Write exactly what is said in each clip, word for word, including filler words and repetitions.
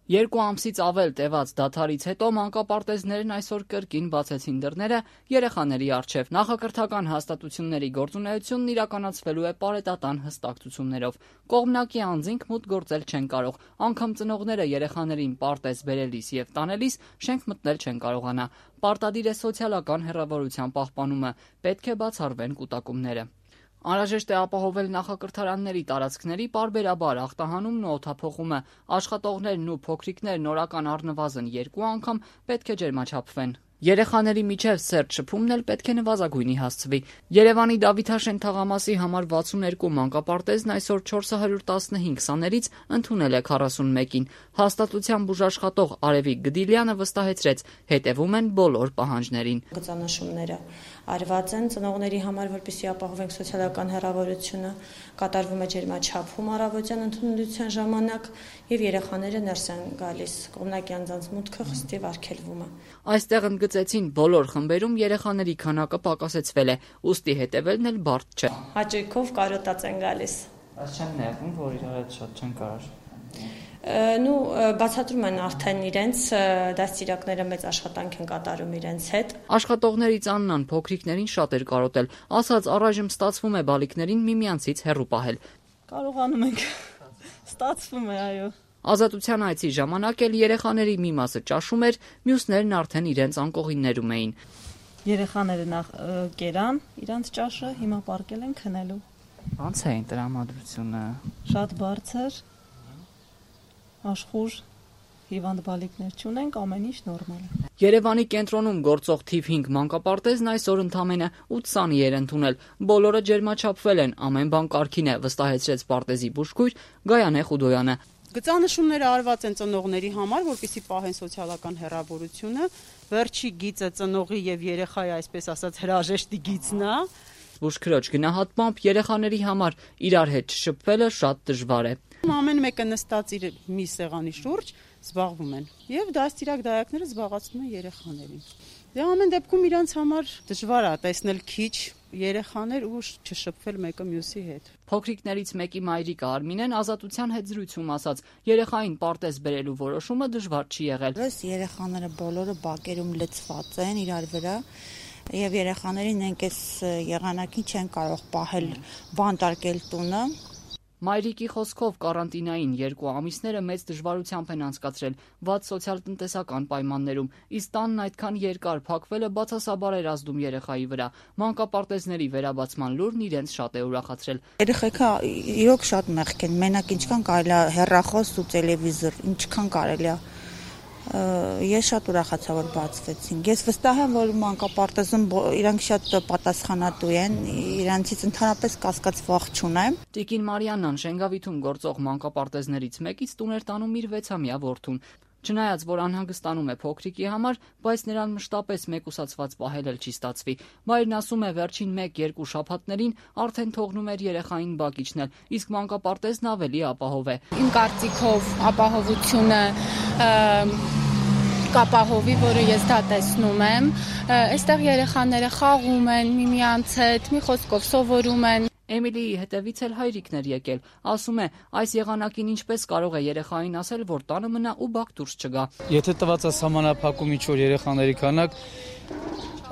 Երկու ամսից ավել տևած դադարից հետո մանկապարտեզներն այսօր կրկին բացեցին դռները երեխաների առջև։ Նախակրթական հաստատությունների գործունեությունն իրականացվելու է պարետատան հստակ ցուցումներով։ Կողմնակի անձինք մուտք գործել չեն կարող, անգամ ծնողները երեխաներին պարտեզ բերելիս եւ տանելիս շենք մտնել չեն կարողանա։ Պարտադիր է սոցիալական հեռավորության պահպանումը, պետք է բացառվեն կուտակումները։ Անհրաժեշտ է ապահովել նախակրթարանների տարածքների պարբերաբար ախտահանումն ու օդափոխումը, աշխատողներն ու փոքրիկներն օրական առնվազն երկու անգամ պետք է ջերմաչափվեն։ Երեխաների միջև սերտ շփումն էլ պետք է նվազագույնի հասցվի։ Երևանի Դավիթաշեն թաղամասի համար վաթսուններկու մանկապարտեզն այսօր չորս հարյուր տասնհինգ սաներից ընդունել է քառասունմեկին։ Հաստատության բուժաշխատող Արևիկ Գդիլյանը վստահեցրեց, հետևում են բոլոր պահանջներին։ Գծանշումները արված են ծնողների համար, որպեսզի ապահովենք սոցիալական հեռավորությունը, կատարվում է ջերմաչափում առավոտյան ընդունելության ժամանակ եւ երեխաները ներս են գալիս։ Կողմնակի անձանց մուտքը խստիվ արգելվում է։ Այստեղ ընդգծեցին բոլոր խմբերում երեխաների քանակը պակասեցվել է, ուստի հետևելն էլ բարդ չէ։ Հաճույքով կարոտած են գալիս։ Բայց չեն նեղվում, որ իրար հետ շատ չեն կարող։ Նու բացատրում են արդեն իրենց դաստիարակները մեծ աշխատանք են կատարում իրենց հետ։ Աշխատողներից Աննան փոքրիկներին շատ էր կարոտել, ասաց առայժմ ստացվում է բալիկներին միմյանցից հեռու պահել։ Կարողանում ենք, ստացվում է, այո։ Ազատության այցի ժամանակ էլ երեխաների մի մասը ճաշում էր, մյուսներն արդեն իրենց անկողիններում էին։ Երեխաները նախ կերան իրանց ճաշը, հիմա պարկել են քնելու։ Ոնց էին տրամադրությունը։ Շատ բարձր, աշխուժ, հիվանդ բալիկներ չունենք, ամեն ինչ նորմալ է։ Երևանի կենտրոնում գործող թիվ հինգ մանկապարտեզն այսօր ընդամենը ութ սանի էր ընդունել։ Բոլորը ջերմաչափվել են, ամեն բան կարգին է, վստահեցրեց պարտեզի բուժքույր Գայանե Խուդոյանը։ Գծանշումները արված են ծնողների համար, որպեսզի պահեն սոցիալական հեռավորությունը, վերջի գիծը ծնողի եւ երեխայի, այսպես ասած, հրաժեշտի գիծն է։ Բուժքրոջ գնահատմամբ երեխաների համար իրար հետ շփվելը շատ դժվար է։ Ամեն մեկը նստած իր մի սեղանի շուրջ զբաղվում են եւ դաստիարակ դայակները զբաղացնում են երեխաներին։ Դե ամեն դեպքում իրանց համար դժվար է տեսնել քիչ երեխաներ ու չշփվել մեկը մյուսի հետ։ Փոքրիկներից մեկի մայրիկը Արմինեն Ազատության հետ զրույցում ասաց, երեխային պարտեզ բերելու որոշումը դժվար չի եղել։ Երեխաները բոլորը բակերում լցված են իրար վրա եւ երեխաներին այնպես եղանակին չեն կարող պահել բանտարկել տունը։ Մայրիկի խոսքով կարանտինային երկու ամիսները մեծ դժվարությամբ են անցկացրել վատ սոցիալ-տնտեսական պայմաններում, իսկ տանն այդքան երկար փակվելը բացասաբար էր ազդում երեխայի վրա։ Մանկապարտեզների վերաբացման լուրն իրենց շատ է ուրախացրել։ Երեխեքը իրոք շատ մեղք են, մենակ ինչքան կարելի է հեռախոս ու տելևիզոր, ինչքան կարելի է։ Ես շատ ուրախացա, որ բացվեցին։ Ես վստահ եմ, որ մանկապարտեզում իրանք շատ պատասխանատու են, իրանցից ընդհանրապես կասկած վախ չունեմ։ Տիկին Մարիաննան Շենգավիթում գործող մանկապարտեզներից մեկից տուն էր տանում իր վեցամյա որդուն։ Չնայած որ անհանգստանում է փոքրիկի համար, բայց նրան մշտապես մեկուսացված պահել էլ չի ստացվի։ Մայրն ասում է վերջին մեկ-երկու շաբաթներին արդեն թողնում էր երեխային բակ իջնել, իսկ մանկապարտեզն ավելի ապահով է։ Իմ կարծիքով ապահովությունը կապահովի, որը ես դա տեսնում եմ։ Այստեղ երեխաները խաղում են միմյանց հետ, մի խոսքով սովորում են։ Էմիլիի հետևից էլ հայրիկներ եկել։ Ասում է, այս եղանակին ինչպես կարող է երեխային ասել, որ տանը մնա ու բակ դուրս չգա։ Եթե տված է սահմանափակում ինչ-որ երեխաների քանակ,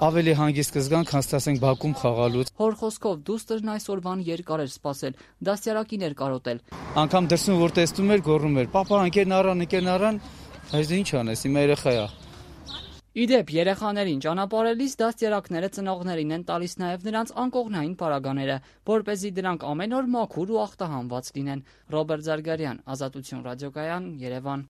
ավելի հանգիստ կզգան, քան ստացենք բակում խաղալուց։ Հոր խոսքով դուստրն այսօրվան երկար էր սպասել, դաստիարակին էր կարոտել։ Անկամ դրսում որ տեսնում էր, գոռում էր. «Պապա, ընկերն առան, ընկերն առան», այս դե ինչ անես, իմ երեխա է։ Իդեպ երեխաներին ճանապարհելիս դաստիարակները ծնողներին են տալիս նաև նրանց անկողնային պարագաները, որպեսզի դրանք ամեն օր մաքուր ու ախտահանված լինեն։ Ռոբերտ Զարգարյան, Ազատություն ռադիոկայան, Երևան։